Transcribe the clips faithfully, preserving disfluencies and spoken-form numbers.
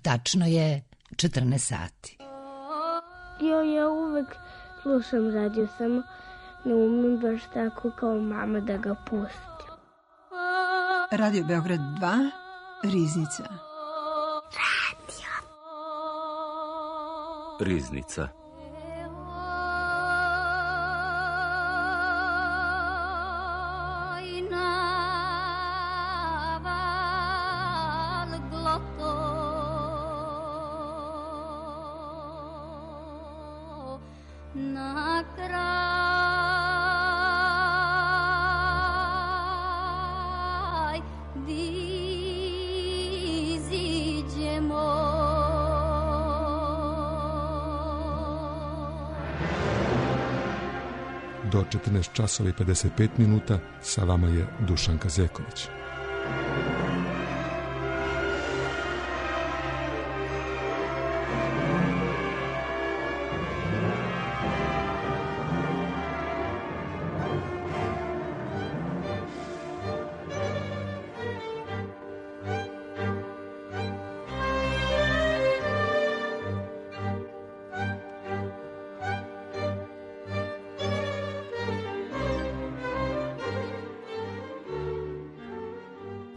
Tačno je četrnaest sati. Jo, ja uvek slušam radio, samo ne umem baš tako kao mama da ga pustim. Radio Beograd dva, Riznica. Radio. Riznica. Do četrnaest časova i pedeset pet minuta sa vama je Dušan Kazeković.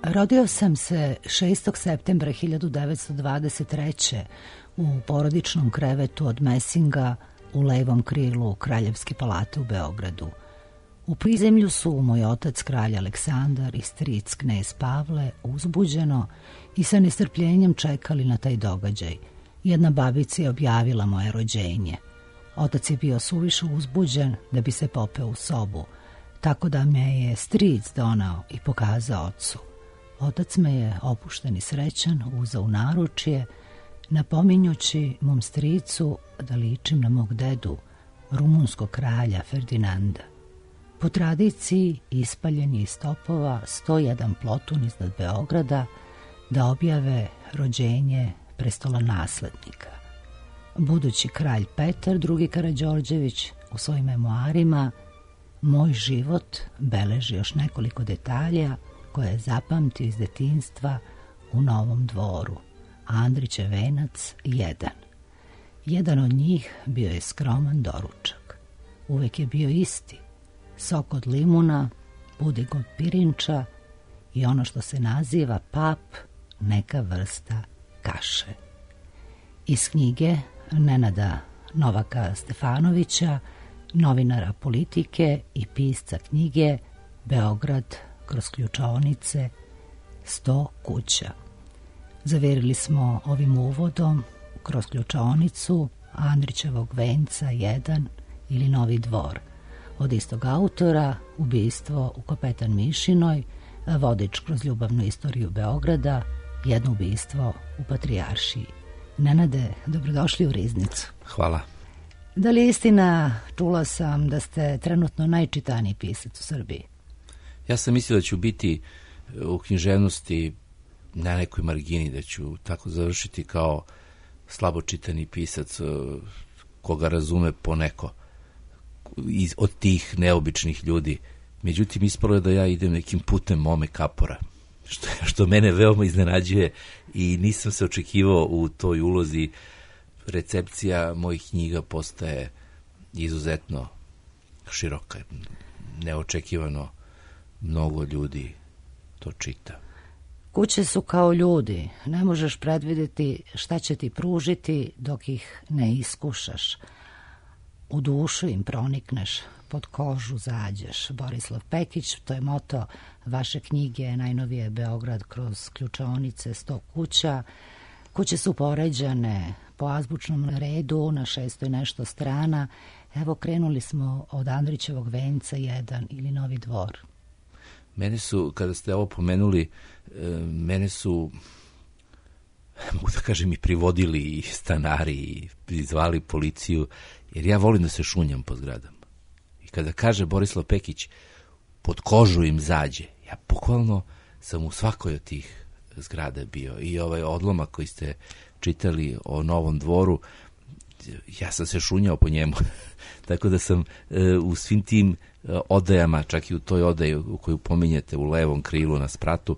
Rodio sam se šestog septembra hiljadu devetsto dvadeset treće. u porodičnom krevetu od Mesinga u levom krilu Kraljevske palate u Beogradu. U prizemlju su moj otac kralj Aleksandar i stric knez Pavle uzbuđeno i sa nestrpljenjem čekali na taj događaj. Jedna babica je objavila moje rođenje. Otac je bio suviše uzbuđen da bi se popeo u sobu, tako da me je stric donao i pokazao ocu. Otac me je opušten i srećan uzeo u naručje, napominjući mom stricu da ličim na mog dedu, rumunskog kralja Ferdinanda. Po tradiciji ispaljen je iz topova sto jedan plotun iznad Beograda da objave rođenje prestolonaslednika. Budući kralj Petar drugi Karađorđević u svojim memoarima Moj život beleži još nekoliko detalja koje je zapamtio iz detinjstva u Novom Dvoru. Andrićev venac jedan. Jedan od njih bio je skroman doručak. Uvek je bio isti. Sok od limuna, pudig od pirinča i ono što se naziva pap, neka vrsta kaše. Iz knjige Nenada Novaka Stefanovića, novinara politike i pisca knjige Beograd kroz ključaonice, sto kuća. Zaverili smo ovim uvodom kroz ključaonicu Andrićevog venca jedan ili Novi Dvor. Od istog autora Ubistvo u Kapetan Mišinoj, vodič kroz ljubavnu istoriju Beograda, jedno ubistvo u Patrijaršiji. Nenade, dobrodošli u Riznicu. Hvala. Da li je istina, čula sam da ste trenutno najčitaniji pisac u Srbiji? Ja sam mislio da ću biti u književnosti na nekoj margini, da ću tako završiti kao slabo čitani pisac koga razume poneko iz, od tih neobičnih ljudi. Međutim, ispalo je da ja idem nekim putem Mome Kapora, što, što mene veoma iznenađuje i nisam se očekivao u toj ulozi. Recepcija mojih knjiga postaje izuzetno široka. Neočekivano mnogo ljudi to čita. Kuće su kao ljudi. Ne možeš predvidjeti šta će ti pružiti dok ih ne iskušaš. U dušu im pronikneš, pod kožu zađeš. Borislav Pekić, to je moto vaše knjige, najnovije Beograd kroz ključaonice, sto kuća. Kuće su poređane po azbučnom redu na šesto i nešto strana. Evo, krenuli smo od Andrićevog venca jedan ili Novi Dvor. Mene su, kada ste ovo pomenuli, mene su, mogu da kažem, i privodili i stanari i zvali policiju, jer ja volim da se šunjam po zgradama. I kada kaže Borislav Pekić, pod kožu im zađe, ja bukvalno sam u svakoj od tih zgrada bio. I ovaj odlomak koji ste čitali o Novom Dvoru, ja sam se šunjao po njemu. Tako da sam e, u svim tim e, odajama, čak i u toj odaji u koju pominjete u levom krilu na spratu,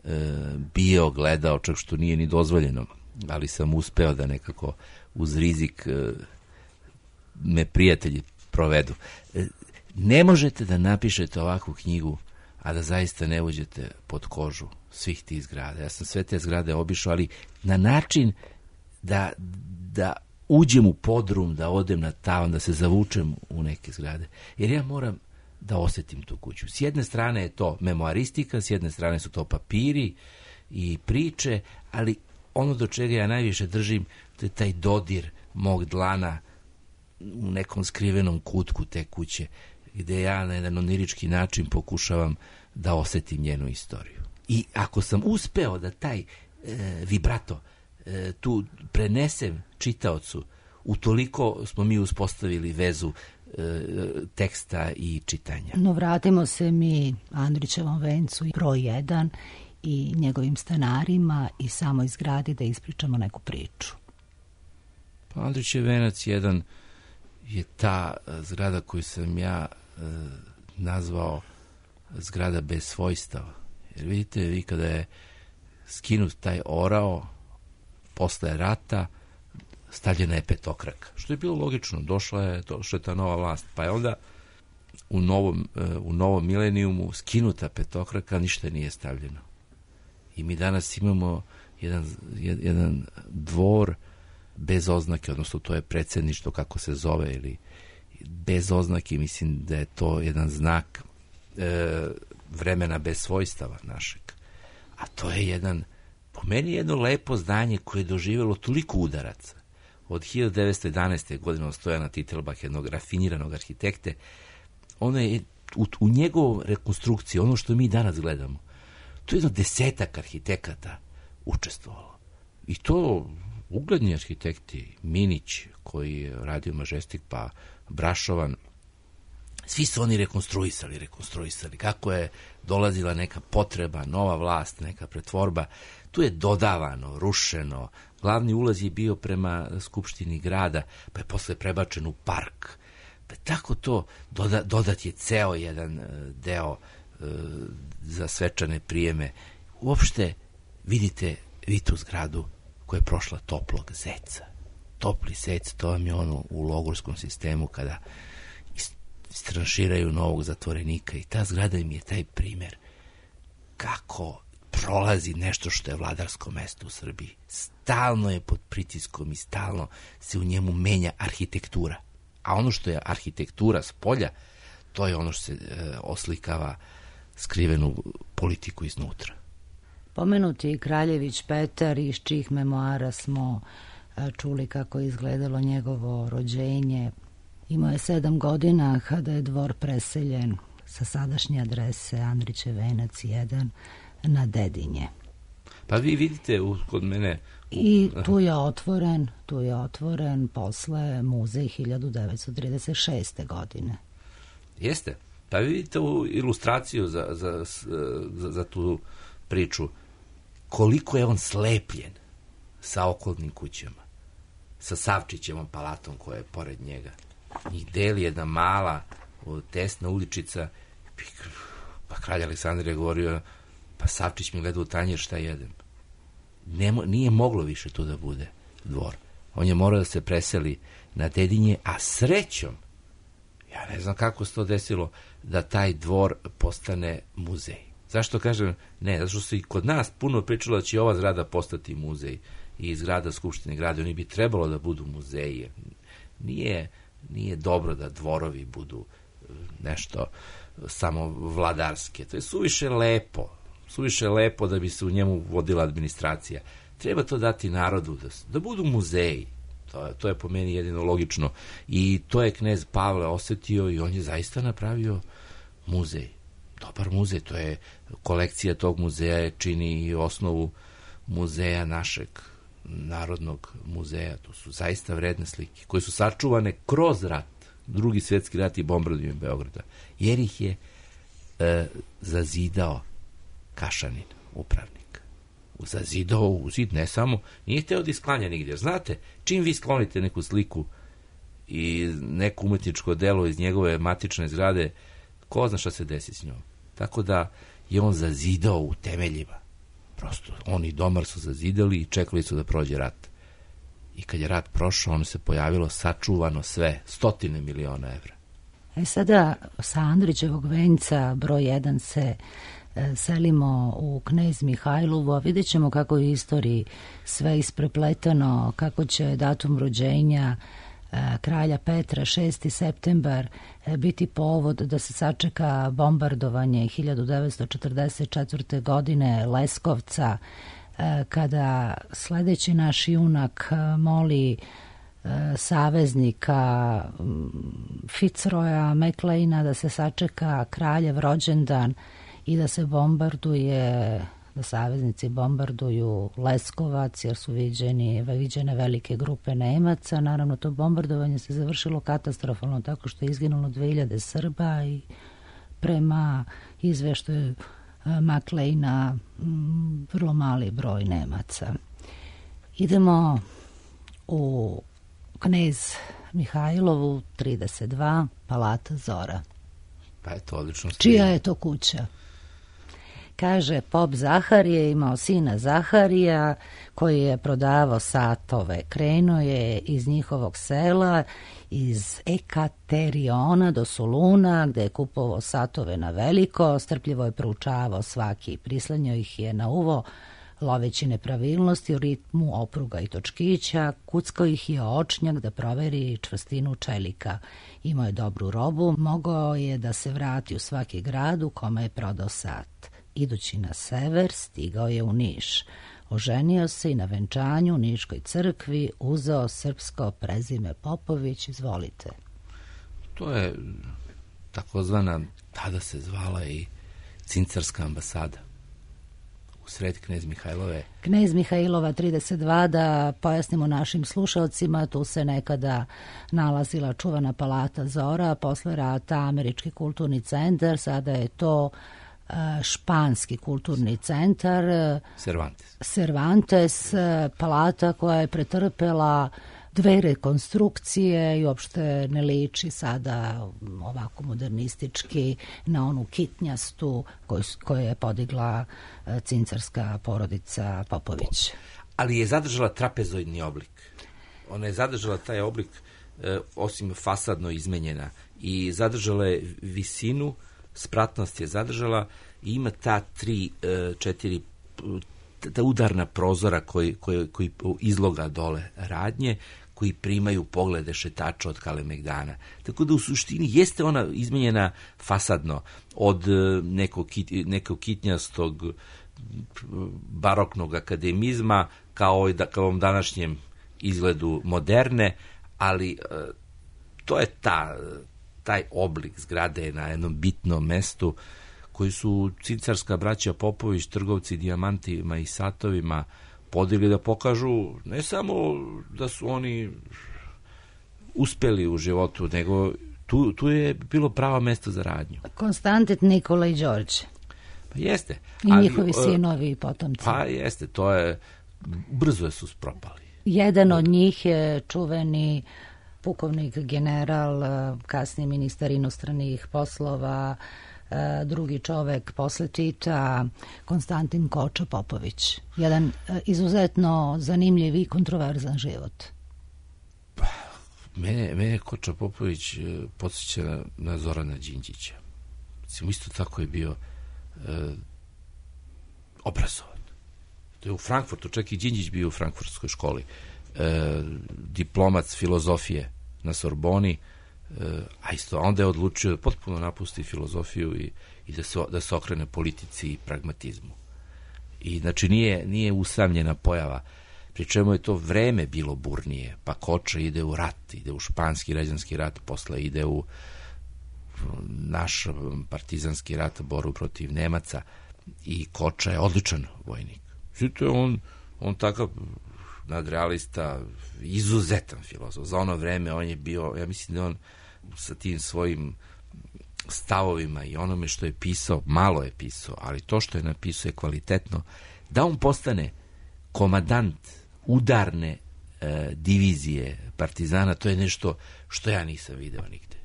e, bio, gledao, čak što nije ni dozvoljeno. ali sam uspeo da nekako uz rizik me prijatelji provedu. Ne možete da napišete ovakvu knjigu, a da zaista ne uđete pod kožu svih tih zgrada. Ja sam sve te zgrade obišao, ali na način da, da uđem u podrum, da odem na tavan, da se zavučem u neke zgrade. Jer ja moram da osjetim tu kuću. S jedne strane je to memoaristika, s jedne strane su to papiri i priče, ali ono do čega ja najviše držim, to je taj dodir mog dlana u nekom skrivenom kutku te kuće, gde ja na jedan onirički način pokušavam da osjetim njenu istoriju. I ako sam uspeo da taj e, vibrato e, tu prenesem čitaocu, utoliko smo mi uspostavili vezu e, teksta i čitanja. No vratimo se mi Andrićevom vencu broj jedan i njegovim stanarima i samoj zgradi da ispričamo neku priču. Pa Andrićev venac jedan je ta zgrada koju sam ja e, nazvao zgrada bez svojstava. Jer vidite, vi kada je skinut taj orao posle rata, stavljena je petokraka. Što je bilo logično, došla je, došla je ta nova vlast. Pa je onda u novom, u novom milenijumu skinuta petokraka, ništa nije stavljeno. I mi danas imamo jedan, jedan dvor bez oznake, odnosno to je predsjedništvo kako se zove, ili bez oznake, mislim da je to jedan znak e, vremena bez svojstava našeg. A to je jedan, po meni jedno lepo zdanje koje je doživjelo toliko udaraca. Od hiljadu devetsto jedanaeste. godine Stojana Titelbach, jednog rafiniranog arhitekte, ono je u, u njegovom rekonstrukciji, ono što mi danas gledamo, to je jedno desetak arhitekata učestvovalo. I to ugledni arhitekti, Minić, koji je radio Majestic, pa Brašovan, svi su oni rekonstruisali, rekonstruisali. Kako je dolazila neka potreba, nova vlast, neka pretvorba, tu je dodavano, rušeno. Glavni ulaz je bio prema Skupštini grada, pa je posle prebačen u park. Pa tako to, doda, dodat je ceo jedan deo e, za svečane prijeme. Uopšte, vidite, vi tu zgradu koja je prošla toplog zeca. Topli zec, to vam je ono u logorskom sistemu kada istranširaju novog zatvorenika, i ta zgrada im je taj primjer kako prolazi nešto što je vladarsko mesto u Srbiji. Stalno je pod pritiskom i stalno se u njemu menja arhitektura. A ono što je arhitektura s polja, to je ono što se e, oslikava skrivenu politiku iznutra. Pomenuti Kraljević Petar, iz čijih memoara smo čuli kako je izgledalo njegovo rođenje. Imao je sedam godina kada je dvor preseljen sa sadašnje adrese Andrićev venac jedan na Dedinje. Pa vi vidite u, kod mene... U... I tu je otvoren, tu je otvoren posle muzej hiljadu devetsto trideset šeste. godine. Jeste. Pa vi vidite u ilustraciju za, za, za, za tu priču koliko je on slepljen sa okolnim kućama, sa Savčićevom palatom koja je pored njega. Njih deli jedna mala, tesna uličica. Pa kralj Aleksandar je govorio, pa Savčić mi gleda u tanjer šta jedem. Nemo, nije moglo više tu da bude dvor. On je morao da se preseli na Dedinje, a srećom, ja ne znam kako se to desilo, da taj dvor postane muzej. Zašto kažem ne? Zato što se i kod nas puno pričalo da će ova zgrada postati muzej, i zgrada Skupštine grada, oni bi trebalo da budu muzeji. Nije, nije dobro da dvorovi budu nešto samo vladarske. To je suviše lepo. Suviše lepo da bi se u njemu vodila administracija. Treba to dati narodu, da, da budu muzeji. To, to je po meni jedino logično. I to je knez Pavle osetio i on je zaista napravio muzej. Dobar muzej, to je kolekcija tog muzeja čini i osnovu muzeja našeg Narodnog muzeja. To su zaista vredne slike koje su sačuvane kroz rat, Drugi svjetski rat i bombardovanje Beograda, jer ih je e, zazidao Kašanin, upravnik. Zazidao u zid, ne samo, nije hteo da isklanja nigdje. Znate, čim vi sklonite neku sliku i neko umetničko delo iz njegove matične zgrade, ko zna šta se desi s njom. Tako da je on zazidao u temeljima Prosto, oni domar su zazidali i čekali su da prođe rat. I kad je rat prošao, ono se pojavilo sačuvano sve, stotine miliona evra. E sada, sa Andrićevog venca broj jedan se e, selimo u Knez Mihajlovu, a vidjet ćemo kako je u istoriji sve isprepletano, kako će datum rođenja e, kralja Petra, šesti septembar, e, biti povod da se sačeka bombardovanje hiljadu devetsto četrdeset četvrte. godine Leskovca, e, kada sledeći naš junak e, moli saveznika Fitzroya Macleana da se sačeka kraljev rođendan i da se bombarduje, da saveznici bombarduju Leskovac jer su viđeni, viđene velike grupe Nemaca. Naravno, to bombardovanje se završilo katastrofalno tako što je izginulo dve hiljade Srba i prema izveštaju Macleana vrlo mali broj Nemaca. Idemo u Knez Mihajlovu, trideset dva, Palata Zora. Pa je to odlično. Čija je to kuća? Kaže, pop Zaharije imao sina Zaharija koji je prodavao satove. Krenuo je iz njihovog sela, iz Ekateriona do Soluna, gde je kupovao satove na veliko, strpljivo je proučavao svaki, prislanjao ih je na uvo, loveći nepravilnosti u ritmu opruga i točkića, kuckao ih je očnjak da proveri čvrstinu čelika. Imao je dobru robu, mogao je da se vrati u svaki grad u kome je prodao sat. Idući na sever, stigao je u Niš. Oženio se i na venčanju u Niškoj crkvi uzeo srpsko prezime Popović. Izvolite. To je takozvana, tada se zvala i Cincarska ambasada. U sred Knez Mihajlove. Knez Mihajlova trideset dva, da pojasnimo našim slušalcima, tu se nekada nalazila čuvana Palata Zora, posle rata Američki kulturni centar, sada je to uh, španski kulturni centar. Cervantes. Cervantes, palata koja je pretrpela dve rekonstrukcije i uopšte ne liči sada ovako modernistički na onu kitnjastu koju, koju je podigla cincarska porodica Popović. Ali je zadržala trapezoidni oblik. Ona je zadržala taj oblik, e, osim fasadno izmenjena, i zadržala je visinu, spratnost je zadržala i ima ta tri, e, četiri ta udarna prozora koji, koji, koji izloga dole radnje, koji primaju poglede šetača od Kalemegdana. Tako da u suštini jeste ona izmenjena fasadno od nekog, nekog kitnjastog baroknog akademizma kao i da, kao ovom današnjem izgledu moderne, ali to je ta, taj oblik zgrade na jednom bitnom mestu koji su cincarska braća Popović, trgovci dijamantima i satovima, podigli da pokažu ne samo da su oni uspeli u životu, nego tu, tu je bilo pravo mesto za radnju. Konstantin, Nikola i Đorđe. Pa jeste. I ali, njihovi sinovi i potomci. Pa jeste, to je, brzo su propali. Jedan od njih je čuveni pukovnik general, kasniji ministar inostranih poslova, drugi čovek posle Tita, Konstantin Koča Popović. Jedan izuzetno zanimljiv i kontroverzan život. Pa, mene, mene Koča Popović podsjeća na, na Zorana Đinđića. Mislim, isto tako je bio e, obrazovan. To je u Frankfurtu, čak i Đinđić bio u frankfurtskoj školi. E, diplomac filozofije na Sorboni, a isto onda je odlučio da potpuno napusti filozofiju i, i da, se, da se okrene politici i pragmatizmu. I znači nije, nije usamljena pojava, pri čemu je to vreme bilo burnije, pa Koča ide u rat, ide u španski građanski rat, posle ide u naš partizanski rat, boru protiv Nemaca, i Koča je odličan vojnik. Znači, on, on takav nadrealista, izuzetan filozof. Za ono vreme on je bio, ja mislim da on sa tim svojim stavovima i onome što je pisao, malo je pisao, ali to što je napisao je kvalitetno, da on postane komadant udarne e, divizije partizana, to je nešto što ja nisam video nigde.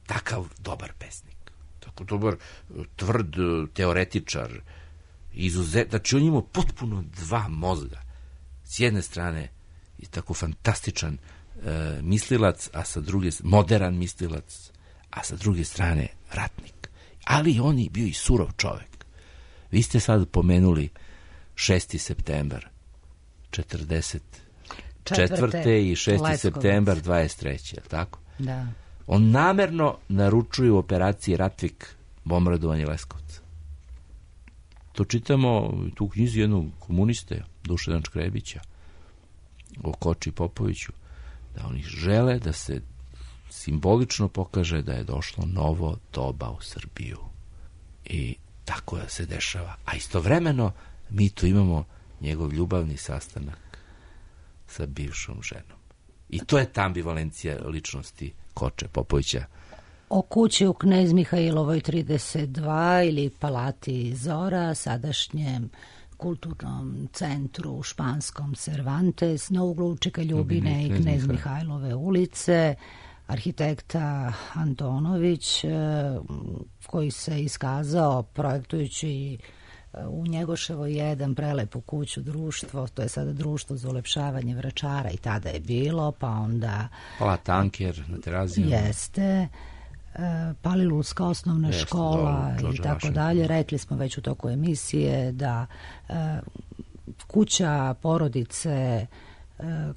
Takav dobar pesnik. Tako dobar, tvrd teoretičar, Izuzet, znači on ima potpuno dva mozga. S jedne strane je tako fantastičan e, mislilac, a sa druge, modern mislilac, a sa druge strane ratnik. Ali on je bio i surov čovek. Vi ste sad pomenuli šesti septembar četrdeset četvrte i šesti septembar dvadeset treće, je li tako? Da. On namerno naručuje u operaciji Ratvik bombardovanje Leskovca. To čitamo tu u knjizi jednog komuniste, Dušana Škrebića, o Koči Popoviću, da oni žele da se simbolično pokaže da je došlo novo doba u Srbiju. I tako se dešava. A istovremeno mi tu imamo njegov ljubavni sastanak sa bivšom ženom. I to je ta ambivalencija ličnosti Koče Popovića. O kući u Knez Mihajlovoj trideset dva ili Palati Zora, sadašnjem kulturnom centru u španskom Cervantes, na uglu Čika Ljubine i Knez Mihajlove ulice, arhitekta Antonović, koji se iskazao projektujući u Njegoševoj jedan prelepu kuću društvo, to je sada društvo za ulepšavanje Vračara i tada je bilo, pa onda... Pala Tanker na Terazijama. Jeste, Palilulska osnovna Jeste, škola do, i tako dalje. Rekli smo već u toku emisije da e, kuća porodice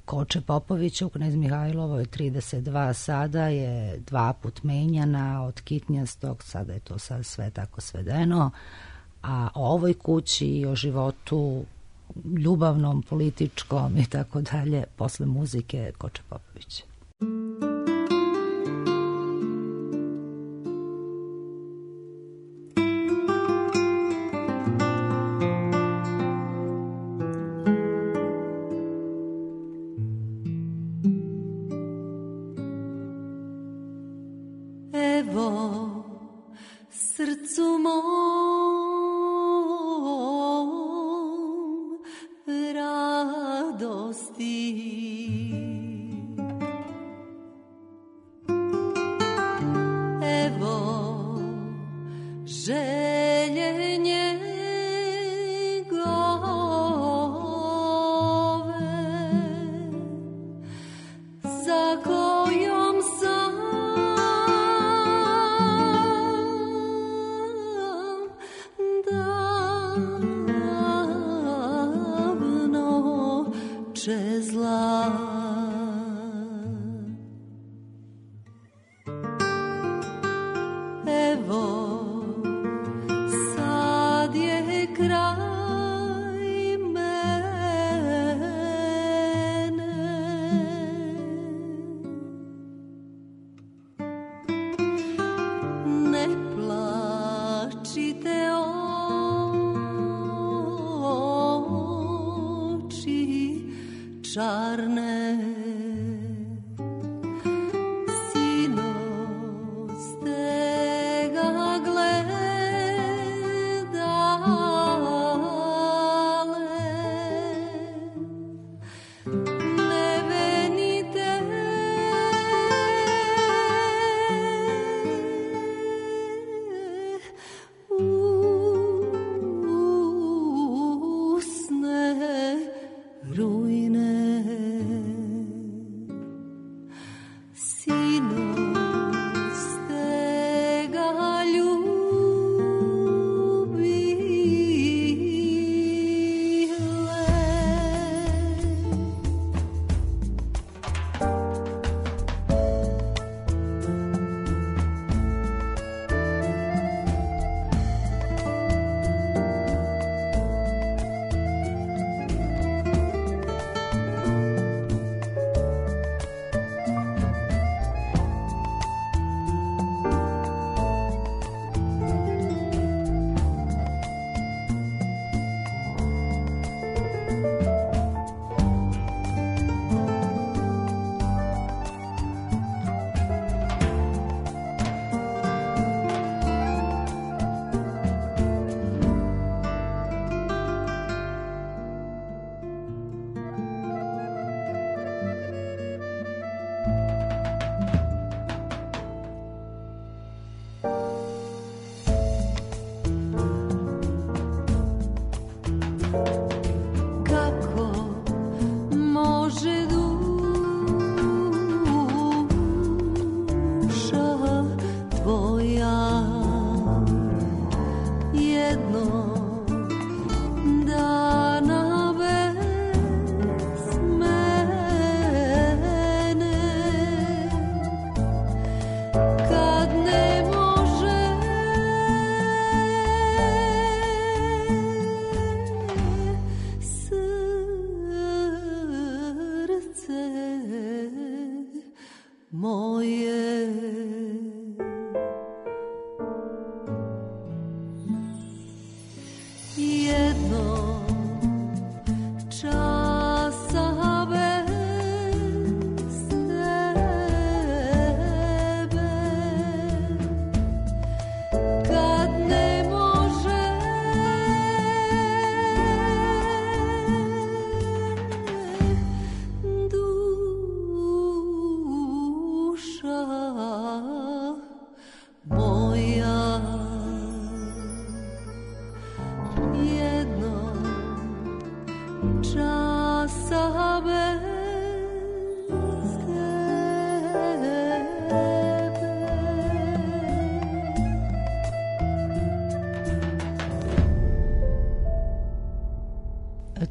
Koče Popovića u Knez Mihajlovoj trideset dva sada je dva put menjana od kitnjastog, sada je to sad sve tako svedeno, a o ovoj kući i o životu ljubavnom, političkom i tako dalje posle muzike Koče Popovića.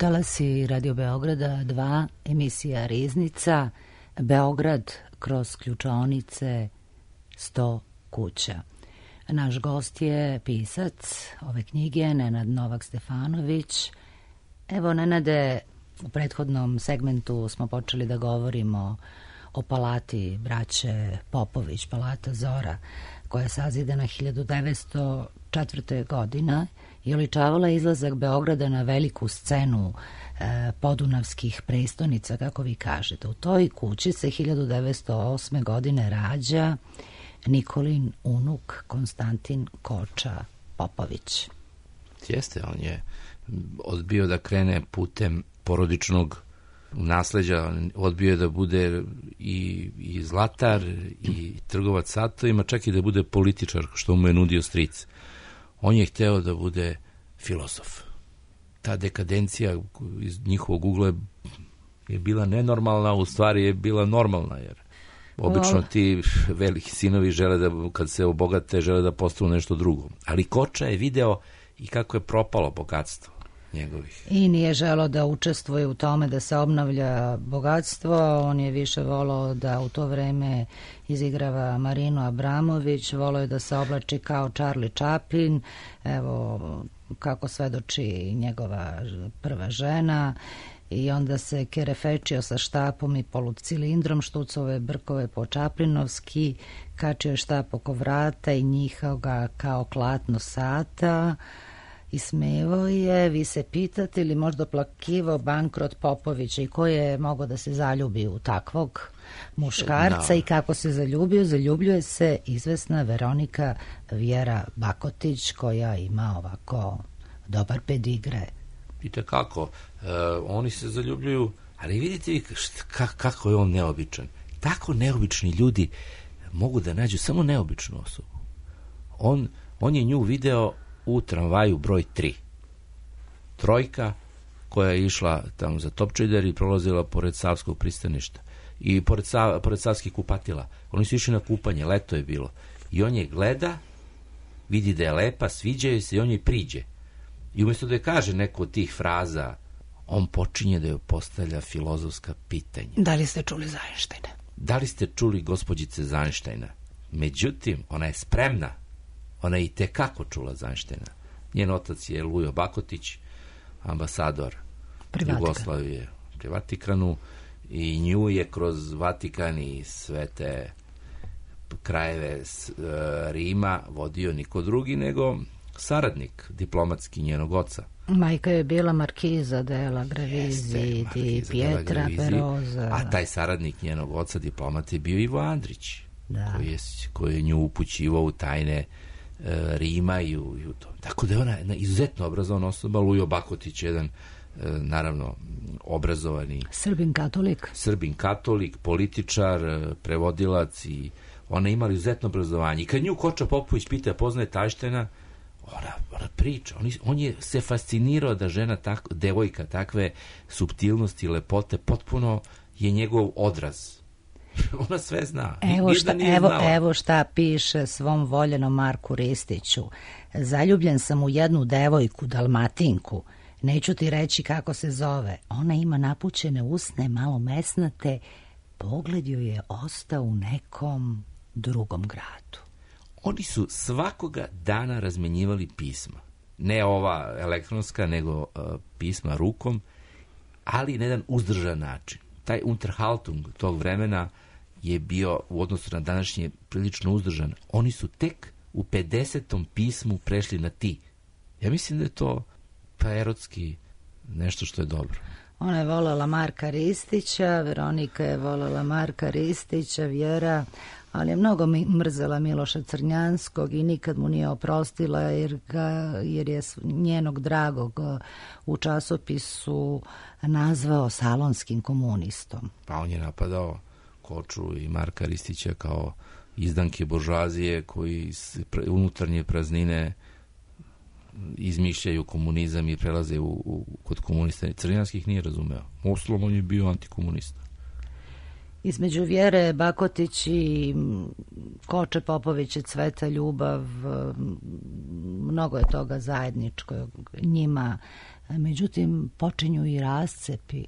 talasi Radio Beograda dva, emisija Riznica, Beograd kroz ključaonice, sto kuća. Naš gost je pisac ove knjige, Nenad Novak Stefanović. Evo, Nenade, u prethodnom segmentu smo počeli da govorimo o palati braće Popović, palata Zora, koja je sazidana hiljadu devetsto četvrte. godine i oličavala izlazak Beograda na veliku scenu e, podunavskih prestonica, kako vi kažete. U toj kući se hiljadu devetsto osme. godine rađa Nikolin unuk Konstantin Koča Popović. Jeste, on je odbio da krene putem porodičnog nasleđa, odbio je da bude i, i zlatar i trgovac satovima, čak i da bude političar, što mu je nudio stric. On je hteo da bude filozof. Ta dekadencija iz njihovog ugla je bila nenormalna, u stvari je bila normalna, jer obično ti veliki sinovi žele da, kad se obogate, žele da postanu nešto drugo. Ali Koča je video i kako je propalo bogatstvo njegovih. I nije želo da učestvuje u tome da se obnavlja bogatstvo, on je više volao da u to vreme izigrava Marinu Abramović, volao je da se oblači kao Charlie Chaplin, evo kako svedoči njegova prva žena, i onda se kerefečio sa štapom i polucilindrom, štucove brkove po čaplinovski, kačio je štap oko vrata i njihao ga kao klatno sata, i smevao je. Vi se pitate ili možda plakivao bankrot Popovića i ko je mogao da se zaljubi u takvog muškarca no. I kako se zaljubio? Zaljubljuje se izvesna Veronika Vjera Bakotić, koja ima ovako dobar pedigre. Vidite kako, e, oni se zaljubljuju, ali vidite šta, kako je on neobičan. Tako neobični ljudi mogu da nađu samo neobičnu osobu. On, on je nju video u tramvaju broj tri. Trojka koja je išla tamo za Topčider i prolazila pored Savskog pristaništa i pored, Sav, pored Savskih kupatila. Oni su išli na kupanje, leto je bilo. I on je gleda, vidi da je lepa, sviđaju se i on je priđe. I umjesto da je kaže neko od tih fraza, on počinje da joj postavlja filozofska pitanja. Da li ste čuli za Einsteina? Da li ste čuli gospođice za Einsteina? Međutim, ona je spremna. Ona je i tekako čula za Einsteina. Njen otac je Lujo Bakotić, ambasador Jugoslavije pri Vatikanu, i nju je kroz Vatikan i sve te krajeve Rima vodio niko drugi nego saradnik diplomatski njenog oca. Majka je bila Markiza della Gravisi di Pietra Peroza. A taj saradnik njenog oca, diplomat, je bio Ivo Andrić, da. koji, je, koji je nju upućivao u tajne e, Rima i u, i u to. Tako da je ona jedna izuzetno obrazovana osoba. Lujo Bakotić je jedan, e, naravno, obrazovani Srbin katolik. Srbin katolik, političar, prevodilac, i ona je imala izuzetno obrazovanje. I kad nju Koča Popović pita, poznaje Einsteina, Ona, ona priča, on, on je se fascinirao da žena, tak, devojka takve suptilnosti i lepote, potpuno je njegov odraz. Ona sve zna. Evo šta, evo, evo šta piše svom voljenom Marku Ristiću. Zaljubljen sam u jednu devojku, Dalmatinku. Neću ti reći kako se zove. Ona ima napućene usne, malo mesnate. Pogled joj je ostao u nekom drugom gradu. Oni su svakoga dana razmenjivali pisma. Ne ova elektronska, nego uh, pisma rukom, ali na jedan uzdržan način. Taj Unterhaltung tog vremena je bio u odnosu na današnje prilično uzdržan. Oni su tek u pedesetom pismu prešli na ti. Ja mislim da je to pa erotski nešto što je dobro. Ona je voljela Marka Ristića, Veronika je voljela Marka Ristića, Vjera, ali je mnogo mrzela Miloša Crnjanskog i nikad mu nije oprostila jer, ga, jer je njenog dragog u časopisu nazvao salonskim komunistom. Pa on je napadao Koču i Marka Ristića kao izdanke buržoazije koji unutarnje praznine izmišljaju komunizam i prelaze u, u, kod komunista. Crnjanskih nije razumeo. Uslom on je bio antikomunista. Između Vjere Bakotić i Koče Popović je cveta ljubav, mnogo je toga zajedničkog njima. Međutim, počinju i rascepi.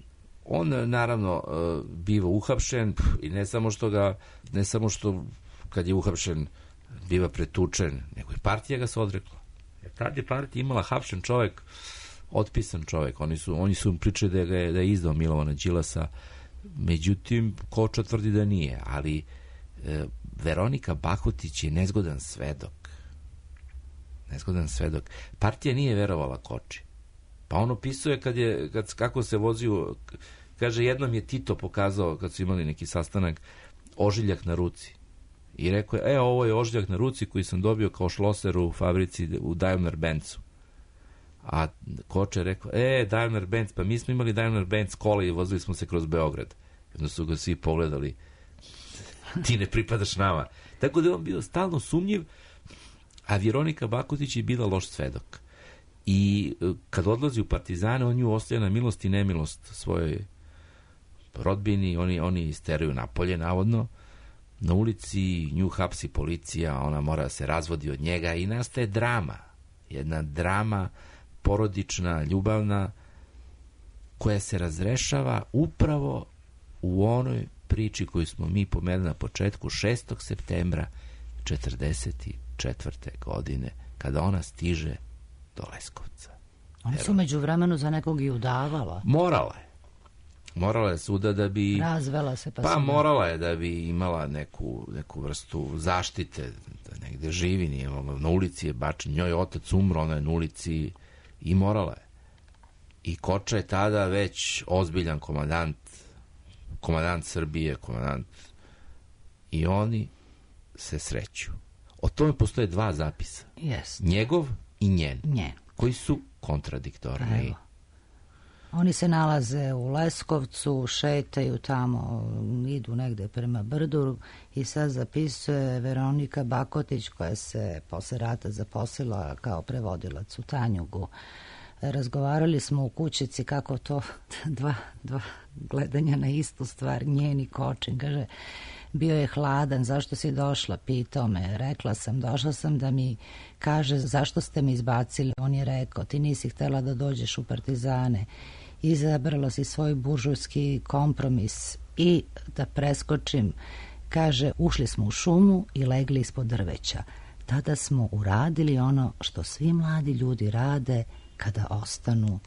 On naravno biva uhapšen i ne samo što ga, ne samo što kad je uhapšen biva pretučen, nego i partija ga se odrekla. Jer tad je partija imala hapšen čovek, otpisan čovek. Oni su, oni su pričali da je, da je izdao Milovana Đilasa, međutim, Koča tvrdi da nije, ali e, Veronika Bakotić je nezgodan svedok. Nezgodan svedok. Partija nije verovala Koči. Pa on opisuje kad je, kad, kako se vozio, kaže, jednom je Tito pokazao, kad su imali neki sastanak, ožiljak na ruci. I rekao je, e, ovo je ožiljak na ruci koji sam dobio kao šloser u fabrici u Daimler-Benzu. A Koča je rekao, e, Daimler-Benz, pa mi smo imali Daimler-Benz kola i vozili smo se kroz Beograd. Jedno su ga svi pogledali, ti ne pripadaš nama. Tako da je on bio stalno sumnjiv, a Veronika Bakotić je bila loš svedok. I kad odlazi u Partizane, on nju ostaje na milost i nemilost svojoj rodbini, oni, oni isteraju napolje, navodno. Na ulici nju hapsi policija, ona mora da se razvodi od njega i nastaje drama. Jedna drama porodična, ljubavna, koja se razrešava upravo u onoj priči koju smo mi pomenuli na početku, šestog septembra četrdeset četvrte godine, kada ona stiže do Leskovca. Oni su među vremenu za nekog i udavala. Morala je. Morala je suda da bi... Razvela se pa Pa suda. morala je da bi imala neku, neku vrstu zaštite, da negde živi, nije mogla. Na ulici je bačen, njoj je otac umro, ona je na ulici i morala je. I Koča je tada već ozbiljan komandant, komandant Srbije, komandant, i oni se sreću. O tome postoje dva zapisa. Jest. Njegov i njen. Njen. Koji su kontradiktorni. Evo. Oni se nalaze u Leskovcu, šetaju tamo, idu negde prema brdu i sad zapisuje Veronika Bakotić, koja se posle rata zaposlila kao prevodilac u Tanjugu. Razgovarali smo u kućici kako to dva, dva gledanja na istu stvar, njeni Kočin. Kaže, bio je hladan, zašto si došla, pitao me. Rekla sam, došla sam da mi kaže zašto ste me izbacili. On je rekao, ti nisi htela da dođeš u Partizane. Izabrala si svoj buržujski kompromis i da preskočim, kaže, ušli smo u šumu i legli ispod drveća. Tada smo uradili ono što svi mladi ljudi rade kada ostanu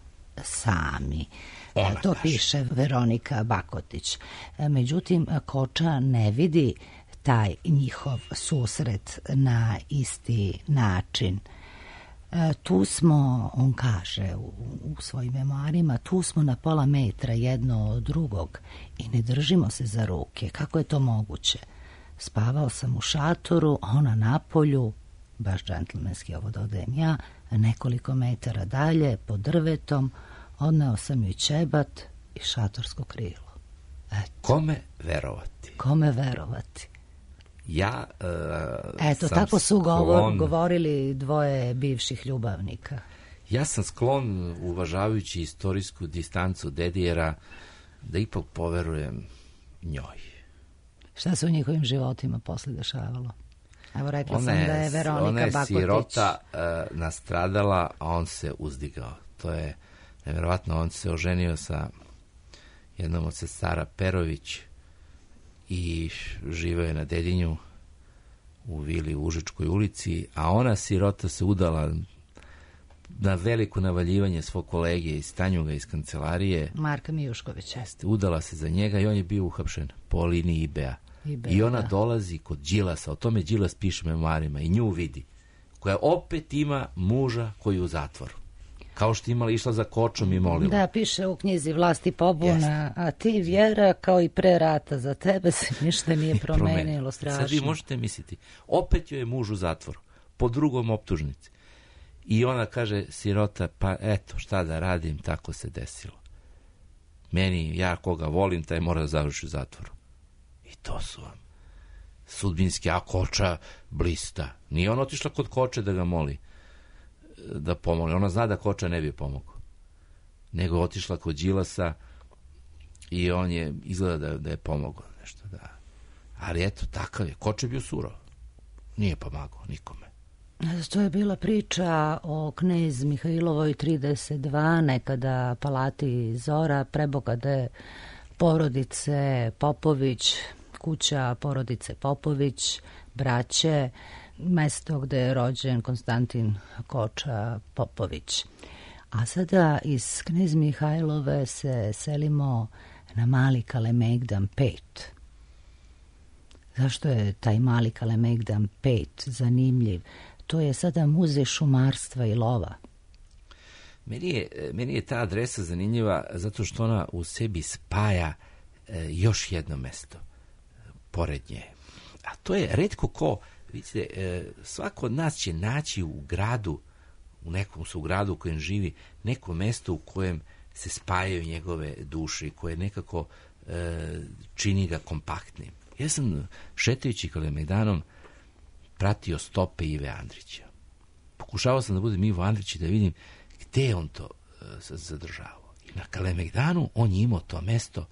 sami. Ona to kaže. Piše Veronika Bakotić. Međutim, Koča ne vidi taj njihov susret na isti način. E, tu smo, on kaže u, u svojim memoarima, tu smo na pola metra jedno od drugog i ne držimo se za ruke. Kako je to moguće? Spavao sam u šatoru, ona na polju, baš džentlmenski ovo dodajem ja, nekoliko metara dalje, pod drvetom, odneo sam joj ćebat i šatorsko krilo. Eto. Kome verovati? Kome verovati? Ja uh, Eto, sam tako su sklon, govor, govorili dvoje bivših ljubavnika. Ja sam sklon, uvažavajući istorijsku distancu Dedijera, da ipak poverujem njoj. Šta se u njihovim životima posle dešavalo? Evo, rekla ona sam je, da je Veronika ona je Bakotić. sirota uh, nastradala, a on se uzdigao. To je nevjerovatno. On se oženio sa jednom od sestara Perović i živeo je na Dedinju u vili u Užičkoj ulici, a ona sirota se udala na veliko navaljivanje svog kolege iz Tanjuga, iz kancelarije. Marka Mijuškovića. Jeste, udala se za njega i on je bio uhapšen po liniji I B A. I B A, I ona da. dolazi kod Đilasa, o tome Đilas piše memoarima, i nju vidi, koja opet ima muža koji je u zatvoru. Kao što imala, išla za Kočom i molila. Da, piše u knjizi Vlast i pobuna, a ti, Vjera, kao i pre rata, za tebe se ništa nije promenilo, strašno. Sad vi možete misliti, opet joj je muž u zatvoru, po drugom optužnici. I ona kaže, sirota, pa eto, šta da radim, tako se desilo. Meni, ja koga volim, taj mora da završi u zatvoru. I to su vam sudbinski, a Koča blista. Nije ona otišla kod Koče da ga moli da pomogne. Ona zna da Koča ne bi pomogao. Nego je otišla kod Đilasa i on je izgleda da, da je pomogao nešto. Da. Ali eto, takav je. Koča je bio surov. Nije pomagao nikome. To je bila priča o knez Mihajlovoj trideset dva, nekada palati Zora, prebogate porodice Popović, kuća porodice Popović, braće, mesto gde je rođen Konstantin Koča Popović. A sada iz knez Mihajlove se selimo na Mali Kalemegdan pet. Zašto je taj Mali Kalemegdan pet zanimljiv? To je sada muzej šumarstva i lova. Meni je, meni je ta adresa zanimljiva zato što ona u sebi spaja e, još jedno mesto pored nje. A to je retko ko, vidite, e, svako od nas će naći u gradu, u nekom su gradu u kojem živi, neko mesto u kojem se spajaju njegove duše i koje nekako e, čini ga kompaktnim. Ja sam šetajući Kalemegdanom pratio stope Ive Andrića. Pokušavao sam da budem Ivo Andrić i da vidim gde je on to uh, zadržavao. I na Kalemegdanu on je imao to mesto,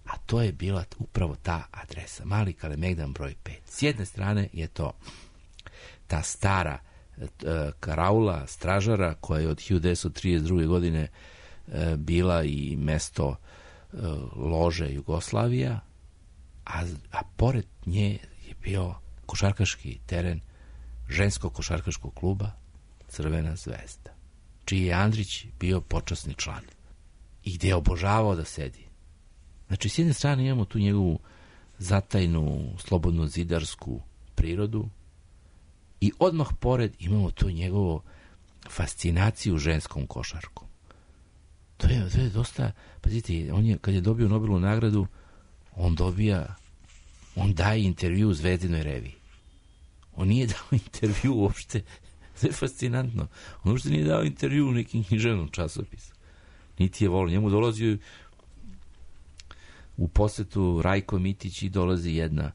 a to je bila upravo ta adresa. Mali Kalemegdan broj pet. S jedne strane je to ta stara uh, karaula, stražara, koja je od hiljadu devetsto trideset druge. godine uh, bila i mesto uh, lože Jugoslavija, a, a pored nje je bio košarkaški teren ženskog košarkaškog kluba Crvena zvezda, čiji je Andrić bio počasni član i gde je obožavao da sedi. Znači, s jedne strane imamo tu njegovu zatajnu, slobodno zidarsku prirodu i odmah pored imamo tu njegovu fascinaciju ženskom košarkom. To je, to je dosta, pazite, on je, kad je dobio Nobelovu nagradu, on dobija on daje intervju u Zvezdinoj reviji. On nije dao intervju uopšte, to je fascinantno, on uopšte nije dao intervju u nekim književnom časopisu. Niti je volio, njemu dolazi u posetu Rajko Mitić i dolazi jedna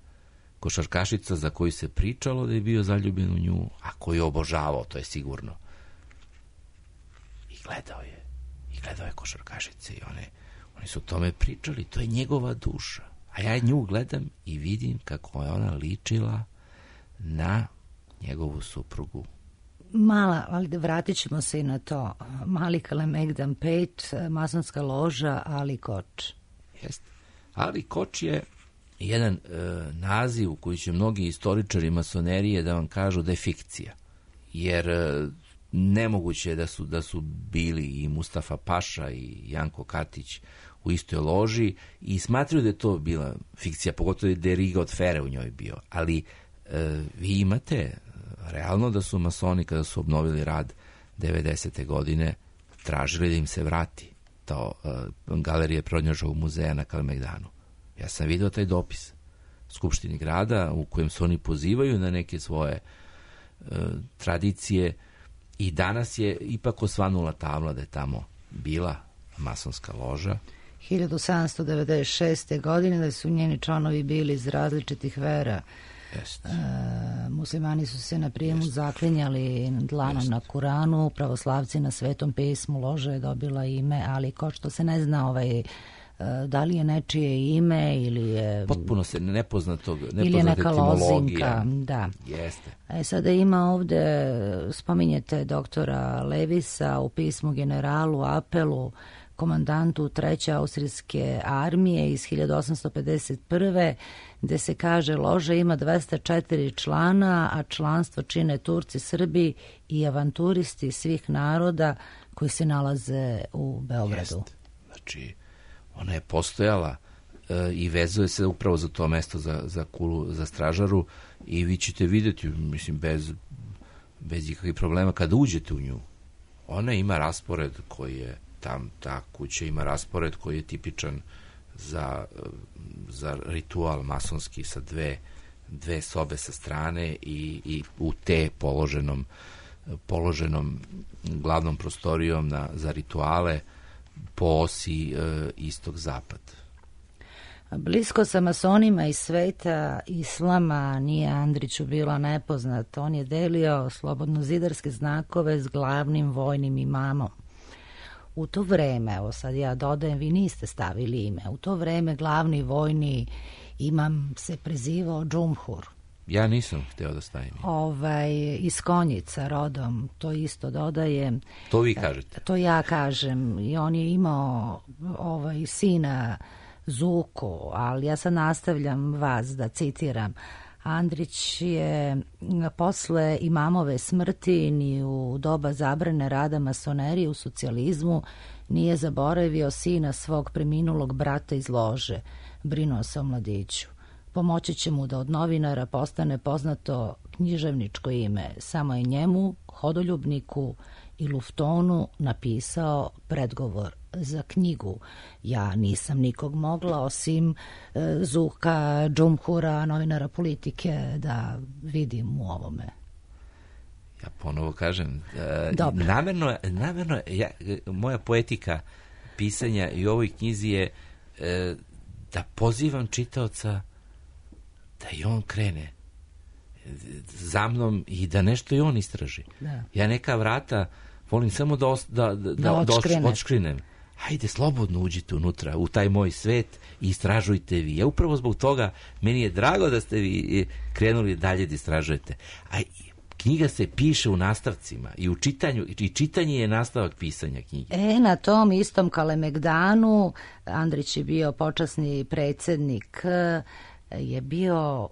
košarkašica za koju se pričalo da je bio zaljubljen u nju, a koju je obožavao, to je sigurno. I gledao je, i gledao je košarkašice i one, oni su o tome pričali, to je njegova duša. A ja nju gledam i vidim kako je ona ličila na njegovu suprugu. Mala, ali vratit ćemo se i na to. Mali Kalemegdan pet, masonska loža Ali Koč. Jeste. Ali Koč je jedan e, naziv u koji će mnogi istoričari masonerije da vam kažu da je fikcija. Jer e, nemoguće je da su, da su bili i Mustafa Paša i Janko Katić u istoj loži i smatraju da je to bila fikcija, pogotovo da je Riga od Fere u njoj bio. Ali e, vi imate realno da su masoni kada su obnovili rad devedesete. godine tražili da im se vrati to e, galerije Prodnjožovog muzeja na Kalemegdanu. Ja sam vidio taj dopis Skupštini grada u kojem se oni pozivaju na neke svoje e, tradicije i danas je ipak osvanula tabla da je tamo bila masonska loža. hiljadu sedamsto devedeset šeste. godine da su njeni članovi bili iz različitih vera. Jeste. E, muslimani su se na prijemu Jeste. zaklinjali dlanom Jeste. na Kuranu, pravoslavci na Svetom pismu, loža je dobila ime, ali ko što se ne zna ovaj, da li je nečije ime ili je... Potpuno se nepoznatog, nepoznate ili je neka lozinka, da. Jeste. E, sada ima ovde, spominjete doktora Levisa u pismu generalu Apelu, komandantu treće austrijske armije iz hiljadu osamsto pedeset prve. gde se kaže loža ima dvesta četiri člana, a članstvo čine Turci, Srbi i avanturisti svih naroda koji se nalaze u Beogradu. Jeste. Znači, ona je postojala e, i vezuje se upravo za to mesto, za, za kulu, za stražaru i vi ćete vidjeti, mislim, bez, bez ikakvih problema kada uđete u nju. Ona ima raspored koji je tam, ta kuća ima raspored koji je tipičan za, za ritual masonski sa dve, dve sobe sa strane i, i u te položenom, položenom glavnom prostorijom na, za rituale po osi e, istog-zapad. Blisko sa masonima iz sveta islama nije Andriću bila nepoznat. On je delio slobodnozidarske znakove s glavnim vojnim imamom. U to vreme, evo sad ja dodajem, vi niste stavili ime, u to vreme glavni vojni imam se prezivao Džumhur. Ja nisam hteo da stavim. Ovaj, iz Konjica rodom, to isto dodaje. To vi kažete? To ja kažem. I on je imao ovaj, sina Zuku, ali ja sad nastavljam vas da citiram. Andrić je posle imamove smrti ni u doba zabrane rada masonerije u socijalizmu nije zaboravio sina svog preminulog brata iz lože. Brinuo se o mladiću. Pomoći će mu da od novinara postane poznato književničko ime. Samo je njemu, hodoljubniku i luftonu napisao predgovor za knjigu. Ja nisam nikog mogla, osim e, Zuka, Džumhura, novinara Politike, da vidim u ovome. Ja ponovo kažem, e, namerno, namerno ja, moja poetika pisanja i u ovoj knjizi je e, da pozivam čitaoca da i on krene za mnom i da nešto i on istraži. Da. Ja neka vrata volim samo da, os, da, da, da, da odškrinem. Hajde, slobodno uđite unutra, u taj moj svet i istražujte vi. Ja upravo zbog toga, meni je drago da ste vi krenuli dalje da istražujete. A knjiga se piše u nastavcima i u čitanju, i čitanje je nastavak pisanja knjige. E, na tom istom Kalemegdanu, Andrić je bio počasni predsjednik, je bio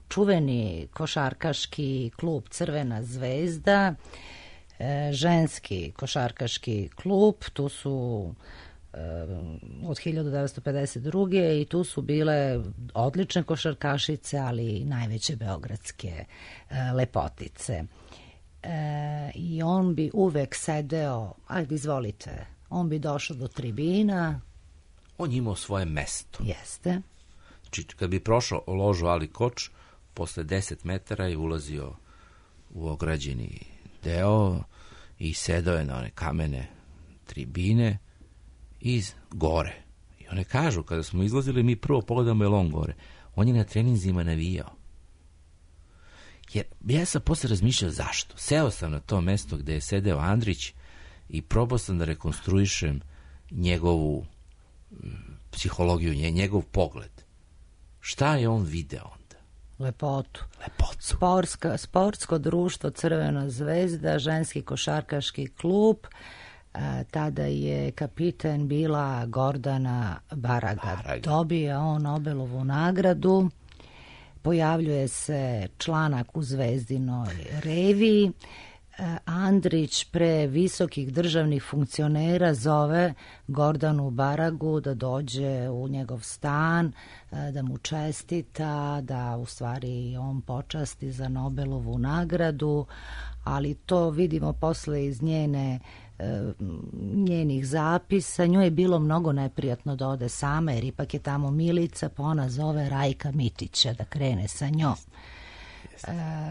čuveni košarkaški klub Crvena zvezda, ženski košarkaški klub, tu su od hiljadu devetsto pedeset druge i tu su bile odlične košarkašice, ali i najveće beogradske lepotice. I on bi uvek sedeo, ajde izvolite, on bi došao do tribina. On imao svoje mesto. Jeste. Znači, kad bi prošao ložu Ali Koč, posle deset metara je ulazio u ograđeni deo i sedao je na one kamene tribine iz gore. I one kažu, kada smo izlazili, mi prvo pogledamo je on gore. On je na treninzima navijao. Jer ja sam posle razmišljao zašto. Seo sam na to mesto gde je sedeo Andrić i probao sam da rekonstruišem njegovu psihologiju, njegov pogled. Šta je on video onda? Lepotu. Lepotu. Sportska, sportsko društvo Crvena zvezda, ženski košarkaški klub. A, tada je kapiten bila Gordana Baraga. Baraga. Dobije on Nobelovu nagradu. Pojavljuje se članak u Zvezdinoj reviji. Andrić pre visokih državnih funkcionera zove Gordanu Baragu da dođe u njegov stan, da mu čestita, da u stvari on počasti za Nobelovu nagradu, ali to vidimo posle iz njene njenih zapisa. Njoj je bilo mnogo neprijatno da ode sama, jer ipak je tamo Milica, pa ona zove Rajka Mitića da krene sa njom.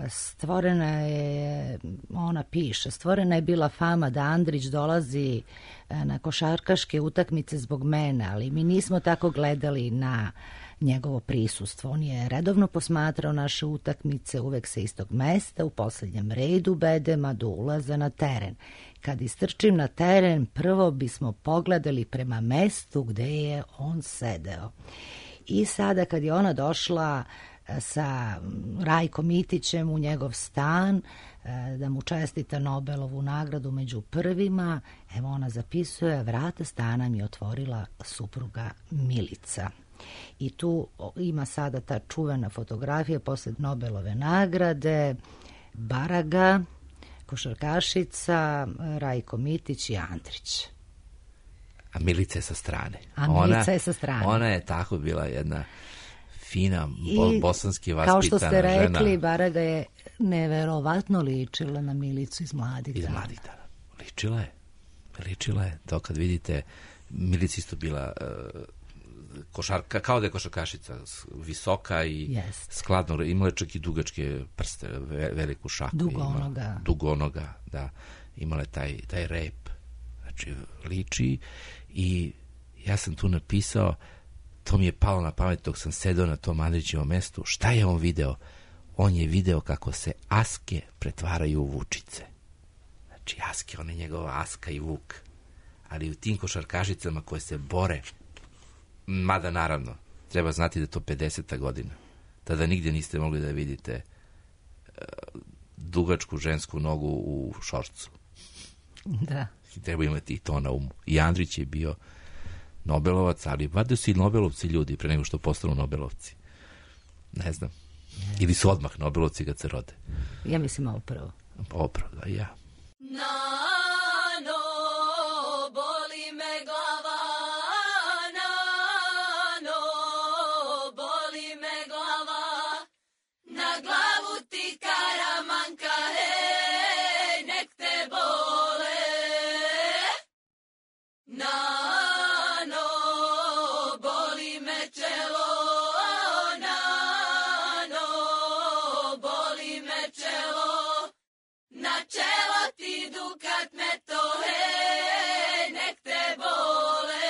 Stvorena je, ona piše, stvorena je bila fama da Andrić dolazi na košarkaške utakmice zbog mene, ali mi nismo tako gledali na njegovo prisustvo. On je redovno posmatrao naše utakmice, uvek sa istog mesta, u poslednjem redu bedema do ulaza na teren. Kad istrčim na teren, prvo bismo pogledali prema mestu gde je on sedeo. I sada kad je ona došla sa Rajkom Mitićem u njegov stan, da mu čestita Nobelovu nagradu među prvima, evo ona zapisuje, vrata stana mi je otvorila supruga Milica. I tu ima sada ta čuvena fotografija posle Nobelove nagrade, Baraga, košarkašica, Rajko Mitić i Andrić. A Milica je sa strane. A Milica ona, je sa strane. Ona je tako bila jedna fina, bo, bosanski vaspitana žena. Kao što ste rekli, žena. Baraga je neverovatno ličila na Milicu iz Mladih dana. Iz Mladih dana. Ličila je. Ličila je. To kad vidite, Milica isto bila uh, košarka, kao da je košarkašica, visoka i yes. skladno, imala čak i dugačke prste, ve, veliku šaku. Dugonoga. Dugonoga, da. Imala taj, taj rep. Znači, liči i ja sam tu napisao, to mi je palo na pamet dok sam sedao na tom Andrićevom mestu. Šta je on video? On je video kako se aske pretvaraju u vučice. Znači, aske, on je njegova aska i vuk. Ali u tim košarkašicama koje se bore, mada naravno, treba znati da je to pedeseta godina. Tada nigdje niste mogli da vidite dugačku žensku nogu u šorcu. Da. I treba imati i to na umu. I Andrić je bio Nobelovac, ali valjda su i Nobelovci ljudi pre nego što postanu Nobelovci. Ne znam. Ili su odmah Nobelovci kad se rode. Ja mislim ovo prvo. Ovo prvo, da, i ja. Nano, boli me glava, nano, boli me glava, na glavu ti karamanka, hej, nek te bole. Nano, boli me čelo, nano, boli me čelo, na čelo ti dukat me to, hej, nek te bole.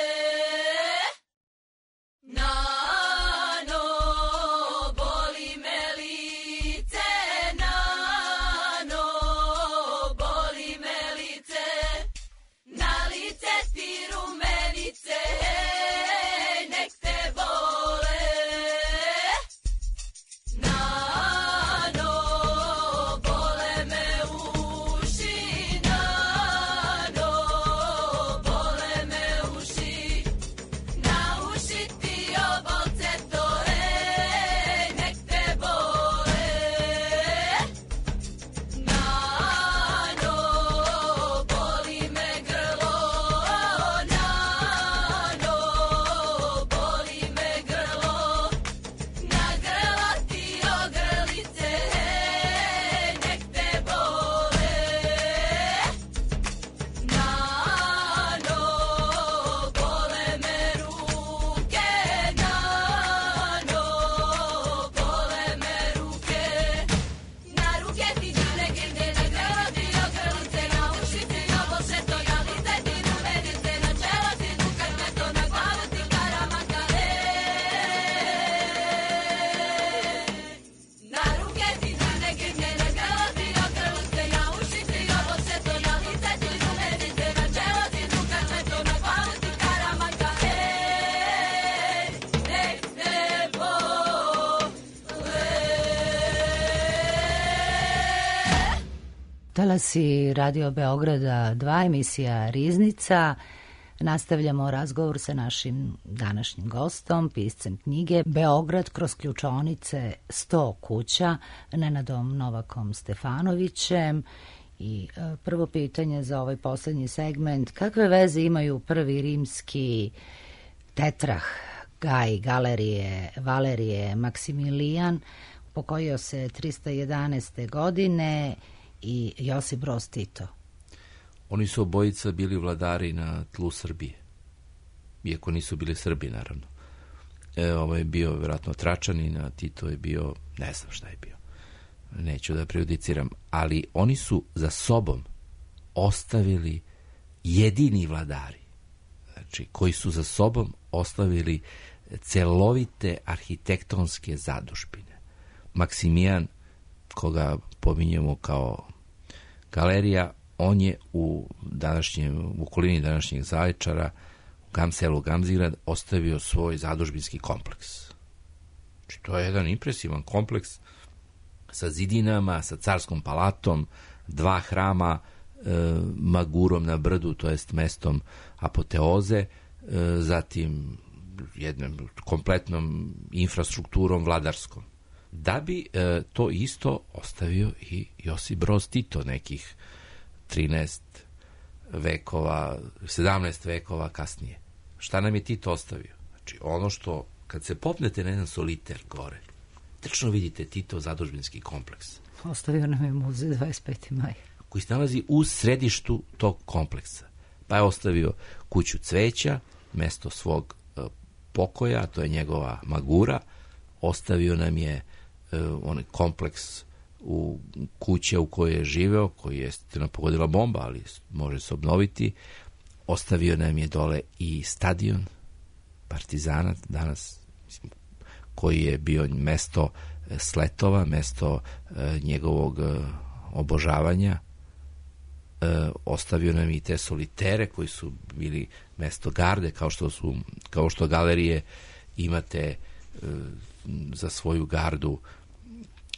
Nano, boli me lice, nano, boli me lice, na lice ti rumenice, hej, nek te bole. Nano, bole me uši, nano, bole me uši, na uši ti obolce to, hej, nek te bole. Nano, boli me grlo, nano, boli me grlo, na grlo ti ogrlice, hej, nek te bole. Nano, bole me ruke, nano, bole me ruke, na ruke ti dane grde, na grlo ti ogrlice, na uši ti obolce to, na lice ti rumenice, na čelo ti dukat me to, na glavu ti karamanka, hej. Na ruke ti dane grde, na grlo ti ogrlice, na uši ti obolce to, na lice ti rumenice, na čelo ti dukat me to, na glavu ti karamanka, hej, nek te bole. Talasi Radio Beograda dva, emisija Riznica. Nastavljamo razgovor sa našim današnjim gostom, piscem knjige Beograd kroz ključonice sto kuća, Nenadom Novakom Stefanovićem. I e, prvo pitanje za ovaj poslednji segment, kakve veze imaju prvi rimski tetrah, Gaj, Galerije, Valerije, Maksimilijan, pokojio se trista jedanaeste. godine, i Josip Broz Tito? Oni su obojica bili vladari na tlu Srbije. Iako nisu bili Srbi, naravno. E, ovo je bio vjerojatno Tračanin, a Tito je bio, ne znam šta je bio. Neću da prejudiciram. Ali oni su za sobom ostavili jedini vladari. Znači, koji su za sobom ostavili celovite arhitektonske zadužbine. Maksimijan, koga pominjemo kao galerija, on je u današnjem, u okolini današnjeg Zaječara, u Gamselu Gamzigrad, ostavio svoj zadužbinski kompleks. Znači, to je jedan impresivan kompleks sa zidinama, sa carskom palatom, dva hrama, e, Magurom na brdu, to jest mestom apoteoze, e, zatim jednom kompletnom infrastrukturom vladarskom. Da bi e, to isto ostavio i Josip Broz Tito nekih trinaest vekova, sedamnaest vekova kasnije. Šta nam je Tito ostavio? Znači, ono što, kad se popnete na jedan soliter gore, tačno vidite Tito zadužbinski kompleks. Ostavio nam je muzej dvadeset peti maj. Koji se nalazi u središtu tog kompleksa. Pa je ostavio kuću cveća, mesto svog e, pokoja, to je njegova Magura. Ostavio nam je e, onaj kompleks u kuće u kojoj je živeo, koji je strano pogodila bomba, ali može se obnoviti. Ostavio nam je dole i stadion Partizana danas, mislim, koji je bio mesto sletova, mesto e, njegovog e, obožavanja. E, ostavio nam i te solitere koji su bili mesto garde, kao što su, kao što galerije imate za svoju gardu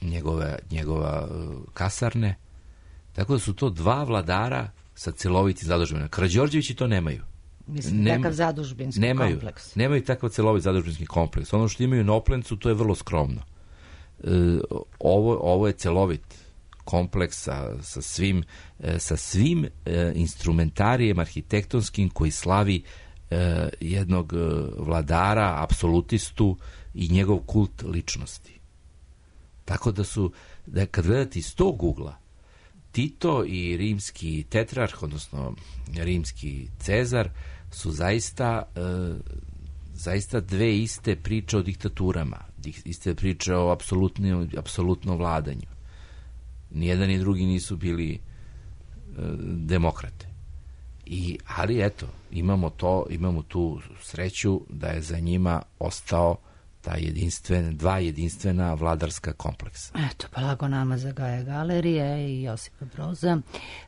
njegove, njegova kasarne. Tako da su to dva vladara sa celovitim zadužbinama. Karađorđevići to nemaju. Mislim, Nema, takav zadužbinski nemaju, kompleks. Nemaju takav celovit zadužbinski kompleks. Ono što imaju na Oplencu, to je vrlo skromno. E, ovo, ovo je celovit kompleks sa, sa svim, e, sa svim e, instrumentarijem arhitektonskim koji slavi e, jednog e, vladara, apsolutistu i njegov kult ličnosti. Tako da su, da kad gledate iz tog ugla, Tito i rimski tetrarh, odnosno rimski Cezar, su zaista, e, zaista dve iste priče o diktaturama, iste priče o apsolutnom, apsolutnom vladanju. Nijedan ni drugi nisu bili e, demokrate. I, ali eto, imamo to, imamo tu sreću da je za njima ostao ta jedinstven, dva jedinstvena vladarska kompleksa. Eto, pa lako nama za Gaja Galerije i Josipa Broza.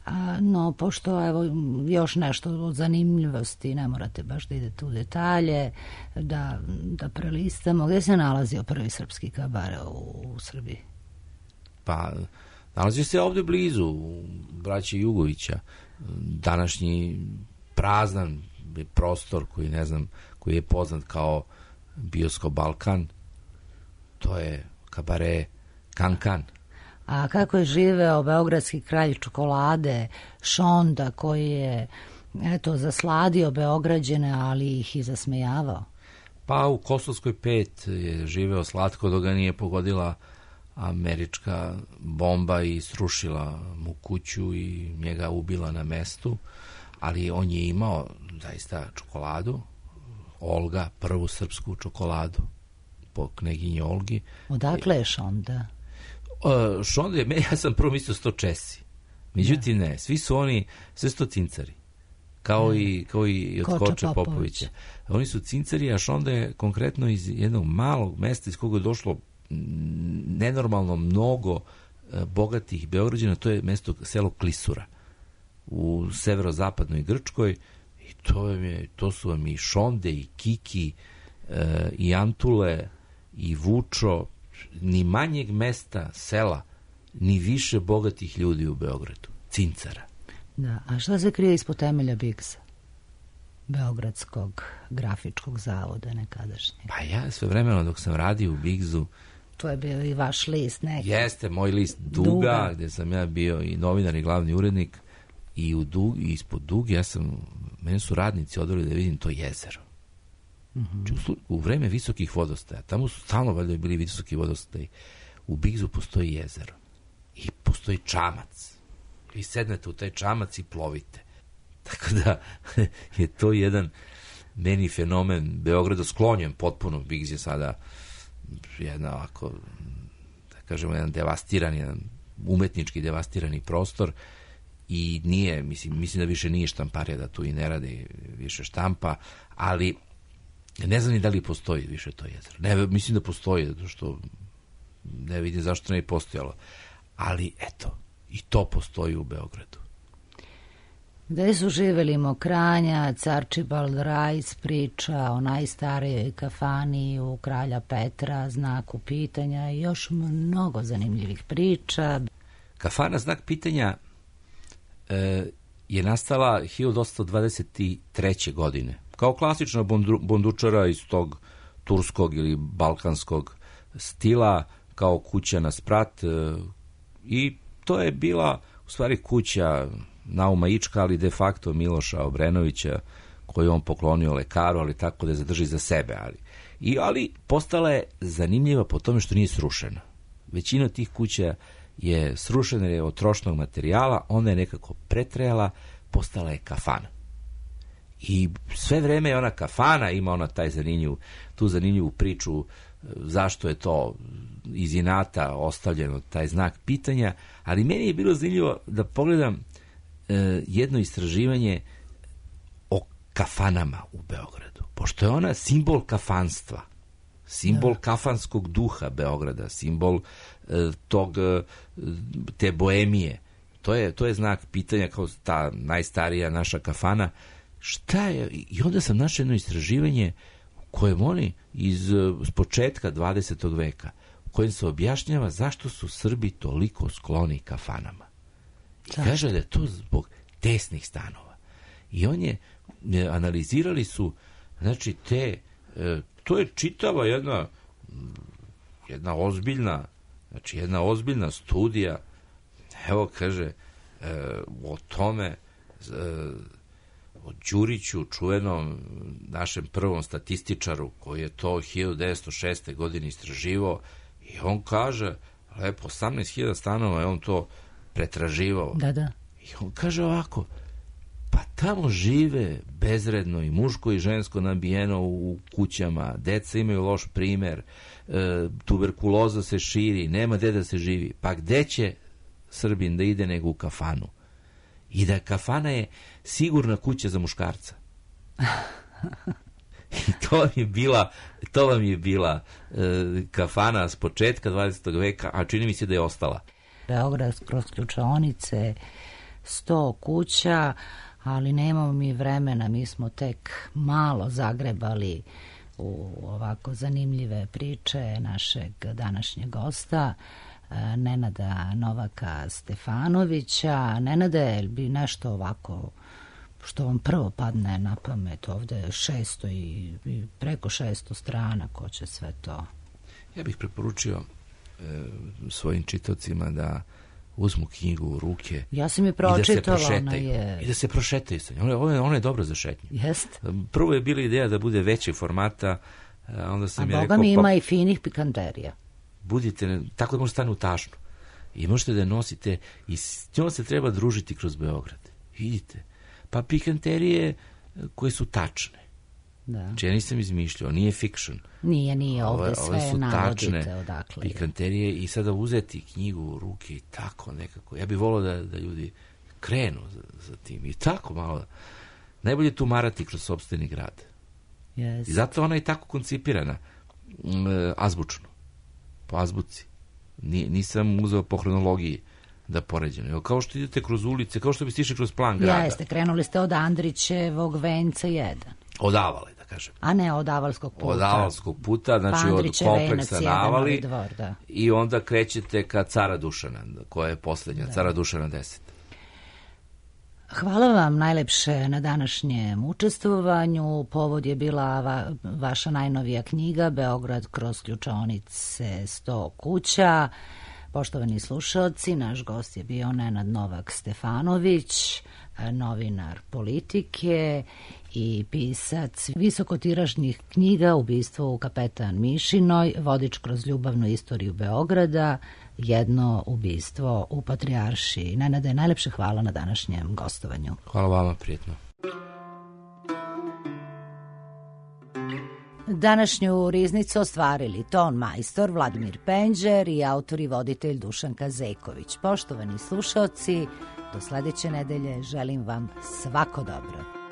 A, no, pošto, evo, još nešto od zanimljivosti, ne morate baš da idete u detalje, da, da prelistamo. Gde se nalazio prvi srpski kabare u, u Srbiji? Pa, nalazi se ovde blizu, u braće Jugovića. Današnji praznan prostor koji, ne znam, koji je poznat kao Bioskop Balkan, to je kabare Kankan. A kako je živeo beogradski kralj čokolade Šonda, koji je, eto, zasladio Beograđane, ali ih i zasmejavao? Pa u Kosovskoj pet je živeo slatko dok ga nije pogodila američka bomba i srušila mu kuću i njega ubila na mestu, ali on je imao zaista čokoladu, Olga, prvu srpsku čokoladu po kneginji Olgi. Odakle je Šonda? Uh, Šonda je, ja sam prvo mislio sto Česi. Međutim, ne, svi su oni, sve su to cincari. Kao, ne. i, kao i od Koča Koča Popovića. Popovića. Oni su cincari, a Šonda je konkretno iz jednog malog mesta iz koga je došlo nenormalno mnogo bogatih Beograđana, to je mesto, selo Klisura u severozapadnoj Grčkoj. I to, je, to su vam i Šonde, i Kiki, e, i Antule, i Vučo, ni manjeg mesta, sela, ni više bogatih ljudi u Beogradu. Cincara. Da, a šta se krije ispod temelja Bigsa? Beogradskog grafičkog zavoda nekadašnje. Pa ja sve vremeno dok sam radio u Bigzu, to je bio i vaš list neki. Jeste, moj list Duga, Duga. Gde sam ja bio i novinar i glavni urednik. I, u dug, i ispod Duge, ja sam, mene su radnici odveli da vidim to jezero. Mm-hmm. U, u vreme visokih vodostaja, tamo su stalno valjda bili visoki vodostaji, u Bigzu postoji jezero. I postoji čamac. Vi sednete u taj čamac i plovite. Tako da je to jedan meni fenomen Beograda, sklonjen potpuno. Bigz je sada jedna ovako, da kažemo, jedan devastirani, jedan umetnički devastirani prostor. I nije, mislim, mislim da više nije štamparija, da tu i ne radi više štampa, ali ne znam ni da li postoji više to jezero. Ne, mislim da postoji, zato što ne vidim zašto ne je postojalo. Ali eto, i to postoji u Beogradu. Gde su živeli Mokranjac, Archibald Rice priča o najstarijoj kafani u Kralja Petra, Znaku pitanja i još mnogo zanimljivih priča. Kafana Znak pitanja e, je nastala hiljadu osamsto dvadeset treće. godine. Kao klasična bondu, bondučara iz tog turskog ili balkanskog stila, kao kuća na sprat. E, I to je bila u stvari kuća Nauma Ička, ali de facto Miloša Obrenovića, koju on poklonio lekaru, ali tako da je zadrži za sebe. Ali, I, ali postala je zanimljiva po tome što nije srušena. Većina tih kuća je srušena je od trošnog materijala, ona je nekako pretrejala, postala je kafana. I sve vreme je ona kafana, ima ona taj zanimljiv, tu zanimljivu priču zašto je to iz inata ostavljeno, taj znak pitanja, ali meni je bilo zanimljivo da pogledam e, jedno istraživanje o kafanama u Beogradu, pošto je ona simbol kafanstva, simbol kafanskog duha Beograda, simbol e, tog, te boemije. To je, to je znak pitanja, kao ta najstarija naša kafana. Šta je? I onda sam našao jedno istraživanje u kojem oni iz s početka dvadesetog veka, u kojem se objašnjava zašto su Srbi toliko skloni kafanama. I kaže da je to zbog tesnih stanova. I on je, analizirali su, znači te, e, to je čitava jedna, jedna ozbiljna, znači jedna ozbiljna studija, evo kaže, e, o tome, e, o Đuriću, čuvenom našem prvom statističaru, koji je to hiljadu devetsto šeste. godine istraživao, i on kaže, lepo, osamnaest hiljada stanova je on to pretraživao. Da, da. I on kaže ovako, pa tamo žive bezredno i muško i žensko nabijeno u kućama, deca imaju loš primer, e, tuberkuloza se širi, nema gde da se živi. Pa gde će Srbin da ide nego u kafanu? I da kafana je sigurna kuća za muškarca. I to vam je bila, to vam je bila e, kafana s početka dvadesetog veka, a čini mi se da je ostala. Beograd kroz ključaonice, sto kuća, ali nemamo mi vremena, mi smo tek malo zagrebali u ovako zanimljive priče našeg današnjeg gosta, Nenada Novaka Stefanovića. Nenade, jel bi nešto ovako što vam prvo padne na pamet? Ovde je šesto i, i preko šesto strana, ko će sve to? Ja bih preporučio e, svojim čitocima da uzmu knjigu u ruke. Ja sam je pročitala, ona je... I da se prošetaju sa njom. Ona, ona je dobra za šetnju. Jest. Prvo je bila ideja da bude većeg formata, a onda sam a ja boga rekao... mi ima pa, i finih pikanterija. Budite, tako da možete stane u tašnu. I možete da je nosite i s njom se treba družiti kroz Beograd. Vidite. Pa pikanterije koje su tačne. Da. Znači ja nisam izmišljao, nije fiction. Nije, nije, ovde ove, sve ove su navodite tačne odakle. Pikanterije i sada uzeti knjigu u ruke i tako nekako. Ja bih volao da, da ljudi krenu za, za tim i tako malo. Najbolje je tumarati kroz sopstveni grad. Yes. I zato ona je tako koncipirana m, azbučno. Po azbuci. Ni, nisam uzeo po hronologiji da poređeno. Kao što idete kroz ulice, kao što biste išli kroz plan grada. Jeste, krenuli ste od Andrićevog venca jedan. Od Avale, da kažem. A ne, od Avalskog puta. Od Avalskog puta, znači pa od kompleksa na Avali. Dvor, da. I onda krećete ka Cara Dušana, koja je posljednja, da. Cara Dušana deset. Hvala vam najlepše na današnjem učestvovanju. Povod je bila va, vaša najnovija knjiga Beograd kroz ključaonice sto kuća. Poštovani slušalci, naš gost je bio Nenad Novak Stefanović, novinar Politike i pisac visokotiražnih knjiga Ubistvo u Kapetan Mišinoj, vodič kroz ljubavnu istoriju Beograda, jedno ubistvo u Patrijaršiji. Nenade, najlepše hvala na današnjem gostovanju. Hvala vama, prijetno. Današnju riznicu ostvarili ton majstor Vladimir Penđer i autor i voditelj Dušanka Zeković. Poštovani slušaoci, do sledeće nedelje želim vam svako dobro.